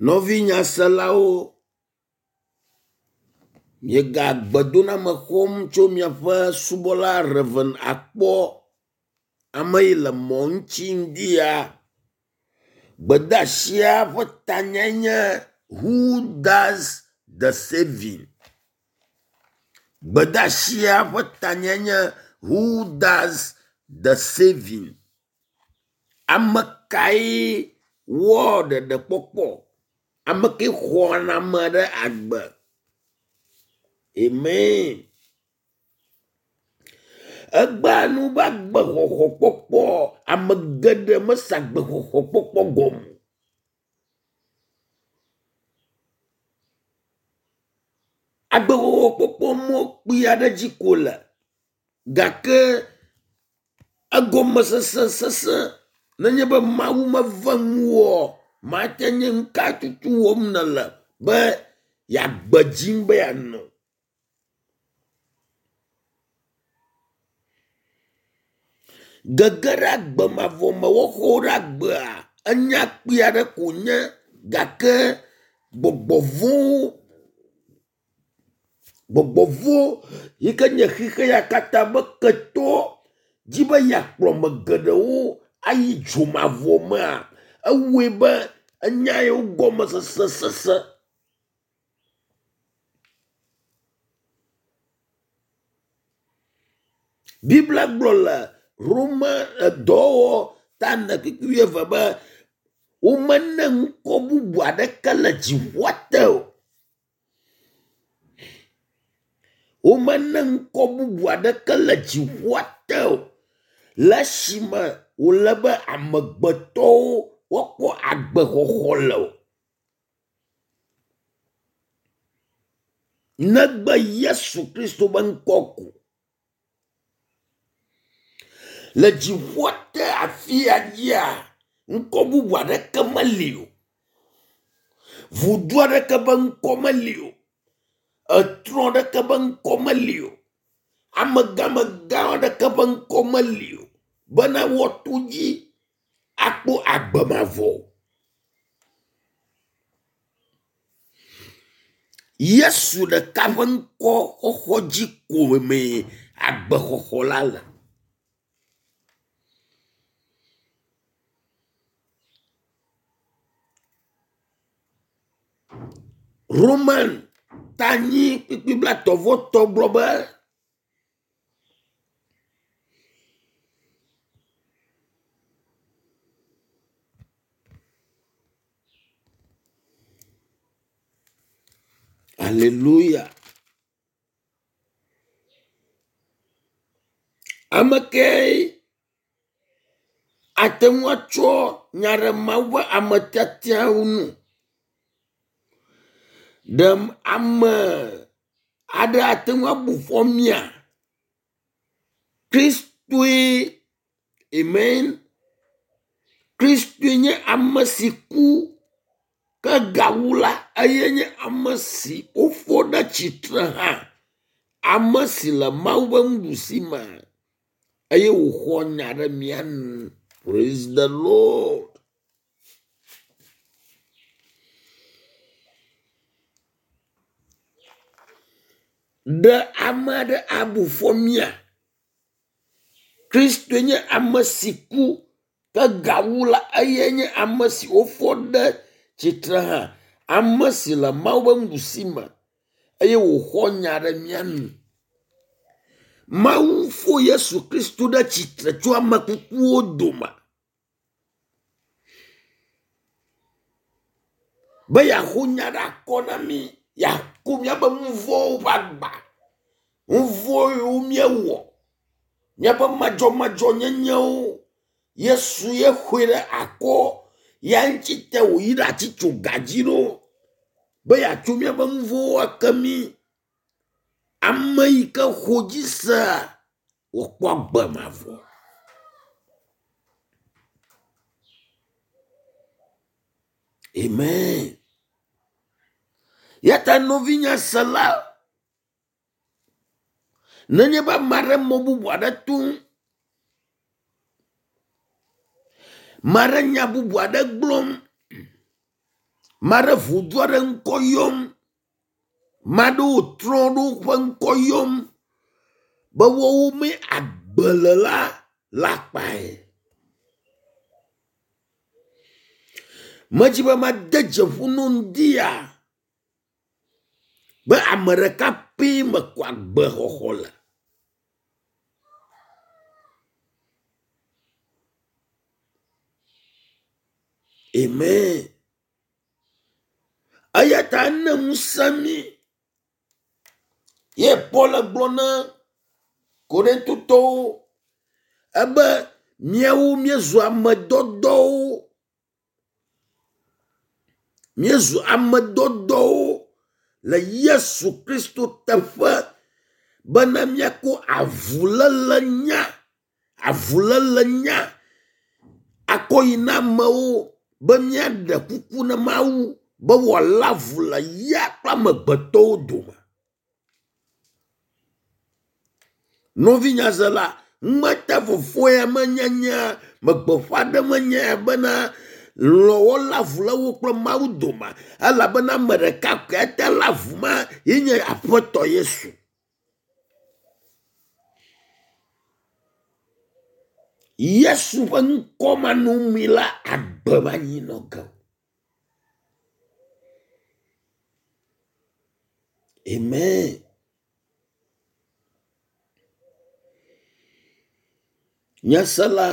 Nɔvi nyaselawo, miega gbedoname xɔm tso miaƒe subɔla Rev. Akpɔ ame yi le mɔ ŋuti ŋdi ya. Gbedeasia ƒe tanyae nye who does the saving? Gbedeasia ƒe tanyae nye who does the saving? Ame kae wɔ ɖeɖekpɔkpɔ? Ame kae xɔa na ame ɖe agbe? Amen. Egbea nu be agbexɔxɔkpɔkpɔ ame geɖe mese agbexɔxɔkpɔkpɔ gɔme o. Agbexɔxɔkpɔkpɔ mɔ kpui aɖe dzi ko le gake egɔmesese sese nenye be Mawu meve ŋuwò mate nye nu ka tutu wɔm nèle be yeagbe dzim be yeanɔ. Gege ɖe agbe mavɔ me woxɔ wo ɖe agbea enya kpui aɖe ko nye gake gbɔgbɔ vɔ̃wo gbɔgbɔ vɔ̃ yi ke nye xixe ya katã be ketɔ dzi be yeakplɔ ame geɖewo ayi dzomavɔ mea, ewɔe be enya yiwo gɔmesese sese. Biblia gblɔ le Roma edɔwɔwɔ ta ene kpukpui wuieve be womene ŋkɔ bubu aɖeke le dziƒoa te o. Womene ŋkɔ bubu aɖeke le dziƒoa te o le esime wòle be amegbetɔwo woakpɔ agbexɔxɔ le o. Negbe Yesu Kristo be ŋkɔ ko. Le dziƒoa te afi ya dzia, ŋkɔ bubu aɖeke meli o. Vudu aɖeke be ŋkɔ meli o. Etrɔ aɖeke be ŋkɔ meli o. Amegãmegã aɖeke ƒe ŋkɔ meli o bena woato dzi akpɔ agbe mavɔ. Yesu ɖeka ƒe ŋkɔ xɔxɔ dzi ko mee agbexɔxɔ la le. Roman tanyi kpukpui blaetɔ̃ vɔ etɔ̃ gblɔ be Aleluya. Ame kae ate ŋu atsɔ nya ɖe Mawu ƒe ame tiatiawo ŋu? Ɖe ame aɖe ate ŋu abu fɔ mía? Kristoe amen. Kristoe nye ame si ku ke gawu la eye nye ame si wofɔ ɖe tsitre hã. Ame si le Mawu ƒe nuɖusi me eye wòxɔ nya ɖe mía nu. Praise the Lord. Ɖe ame aɖe abu fɔ mía? Kristoe nye ame si ku ke gawu la eye nye ame si wofɔ ɖe tsitre hã. Ame si le Mawu ƒe nuɖusi me eye wòxɔ nya ɖe mía nu. Mawu fo Yesu Kristo ɖe tsitre tso ame kukuwo dome be yeaxo nya ɖe akɔ na mí, yeako míaƒe nu vɔ̃wo ƒe agba, nu vɔ̃ yiwo míewɔ, míaƒe madzɔmadzɔnyenyewo. Yesu ye xoe ɖe akɔ ya ŋuti te wòyi ɖe atitsoga dzi ɖo be yeatso míaƒe nu vɔ̃wo ake mí. Ame yi ke xɔ dzi sea, wòkpɔ agbe mavɔ. Amen. Ya ta nɔvinye sela, nenye be ame aɖe mɔ bubu aɖe tom, ame aɖe nya bubu aɖe gblɔm. Maɖe ʋudu aɖe ŋkɔ yɔm. Maɖewo trɔ ɖewo ƒe ŋkɔ yɔm be woawo mee agbe le la le akpae. Medzi be made dzeƒo no ŋdi ya be ame ɖeka pɛ me ko agbexɔxɔ le. Amen. Eya ta ene ŋusẽ mí. Ye Paul gblɔ na Korintotɔwo ebe míawo míezu ame dɔdɔwo. Míezu ame dɔdɔwo le Yesu Kristo teƒe bena míako avuléle nya, avuléle nya akɔ yi na amewo be míaɖe kuku na Mawu be wòalé avu le ya kple amegbetɔwo dome. Nɔvi nyazela, ŋmete fofo ya menyenye me gbeƒã ɖem enye bena lɔ̃wɔla avu le wo kple Mawu dome elabena ame ɖeka koe ate lé avu ma ye nye Aƒetɔ Yesu. Yesu ƒe ŋkɔ manɔmee la agbe manyi nɔ ge o. Amen. Nyasela,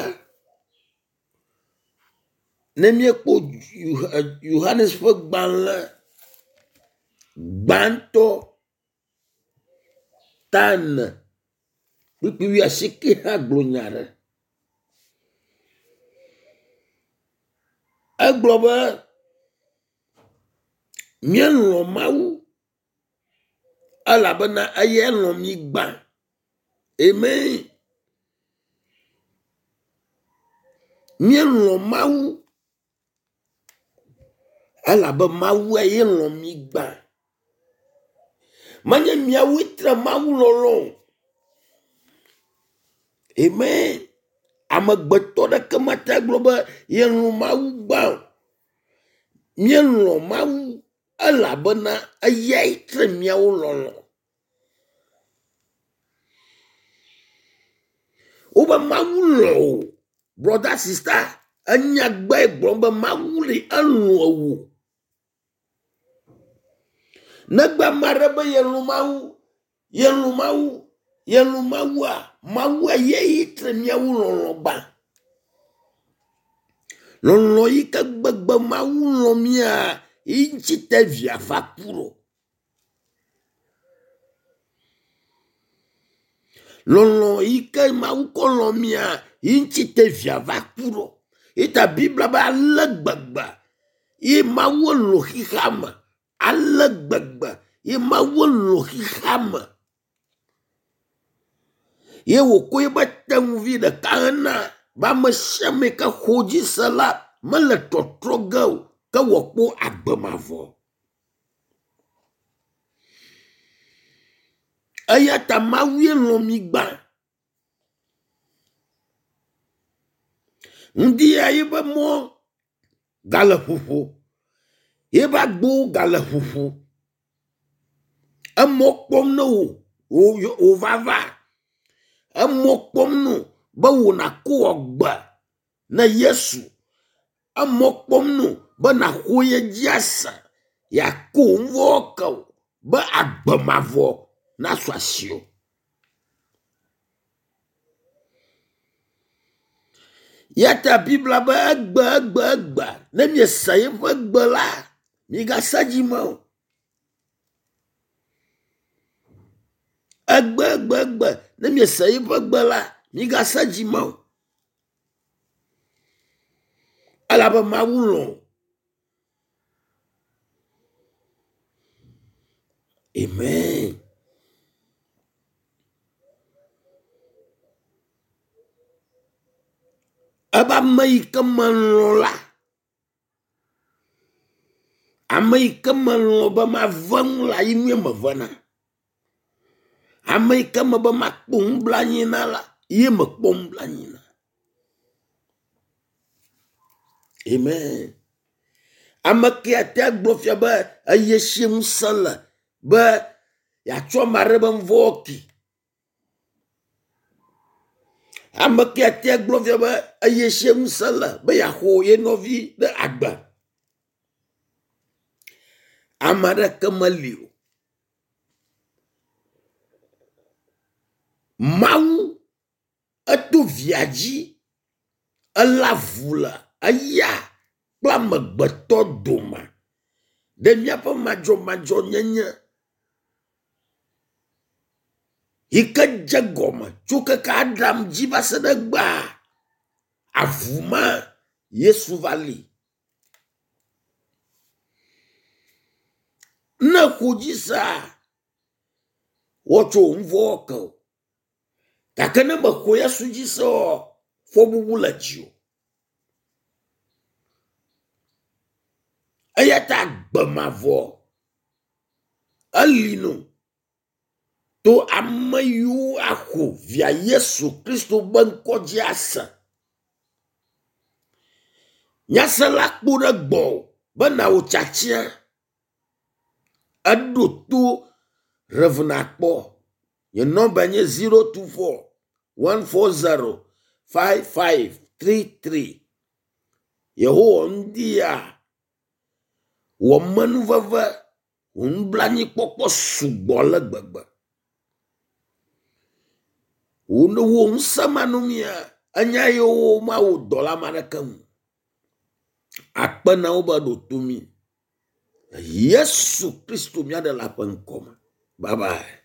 ne míekpɔ Yohanes ƒe gbalẽ gbãtɔ ta ene kpukpui wuiasieke hã gblɔ nya aɖe. Egblɔ be míelɔ̃ Mawu elabena eyae lɔ̃ mí gbã. Amen. Míelɔ̃ Mawu elabe Mawue ye lɔ̃ mí gbã. Menye míawoe tre Mawu lɔlɔ̃ o. Amen. Amegbetɔ ɖeke mate gblɔ be yelɔ̃ Mawu gbã o. Míelɔ̃ Mawu elabena eyae tre míawo lɔlɔ̃. Wobe Mawu lɔ̃ wò. Brother, sister, enya gbe gblɔm be Mawu li elɔ̃ wò. Negbe ame aɖe be yelɔ̃ Mawu, yelɔ̃ Mawu, yelɔ̃ Mawua, Mawua ye tre míawo lɔlɔ̃ gbã. Lɔlɔ̃ yi ke gbegbe Mawu lɔ̃ mía, yi ŋuti te via va ku ɖo. Lɔlɔ̃ yi ke Mawu kɔ lɔ̃ mía, yi ŋuti te via va ku ɖo. Yi ta Biblia be ale gbegbe ye Mawu lɔ̃ xexea me, ale gbegbe ye Mawu lɔ̃ xexea me. Ye wòkɔ eƒe tenuvi ɖeka hena be ame sia ame yi ke xɔ dzi se la mele tɔtrɔ ge o ke wòakpɔ agbe mavɔ. Eya ta Mawue lɔ̃ mí gbã. Ŋdi ya yeƒe mɔ gale ƒoƒo, yeƒe agbowo gale ƒoƒo. Emɔ kpɔm ne wò wò vava. Emɔ kpɔm no be wò nàko agbe ne Yesu. Emɔ kpɔm no be nàxɔ ye dzi ase, yeako nu vɔ̃wo ke wò be agbe mavɔ nasu asiwò. Ya ta Biblia be egbe egbe egbe ne miese yeƒe gbe la, migase dzi me o. Egbe egbe egbe ne miese yeƒe gbe la, migase dzi me o. Elabe Mawu lɔ̃. Amen. Ebe ame yi ke melɔ̃ la, ame yi ke melɔ̃ be mave ŋu la, yi nue mevena. Ame yi ke me be makpɔ nublanui na la, ye mekpɔ nublanui na. Amen. Ame ke ate agblɔ fia be eye si ŋusẽ le be yeatsɔ ame aɖe be nuvɔ̃ ke. Ame ke ate agblɔ fia be eye si ŋusẽ le be yeaxɔ ye nɔvi ɖe agbe. Ame aɖeke meli o. Mawu eto via dzi elé avu le eya kple amegbetɔ dome ɖe míaƒe madzɔmadzɔnyenye yi ke dze gɔme tso keke Adam dzi va se ɖe egbea, avu ma Yesu va li. Ne exo dzi sea, woatsɔ wò nu vɔ̃wo ke wò. Gake ne mexɔ Yesu dzi se oa, fɔbubu le dziwò. Eya ta agbe mavɔ eli no to ame yiwo axɔ via Yesu Kristo ƒe ŋkɔ dzi ase. Nyasela kpo ɖe gbɔwò be nawò tiatia. Eɖo to Rev. Akpɔ. Nye nɔmba nye 024 140 5533. Yehowa ŋdi ya wɔ menuveve wò nublanuikpɔkpɔ sugbɔ ale gbegbe. Wò wò ŋusẽ manɔmea, enya yiwo mawɔ dɔ le ame aɖeke ŋu. Akpe na wo be ɖo to mí. Le Yesu Kristo mía ɖela ƒe ŋkɔ me. Bye bye.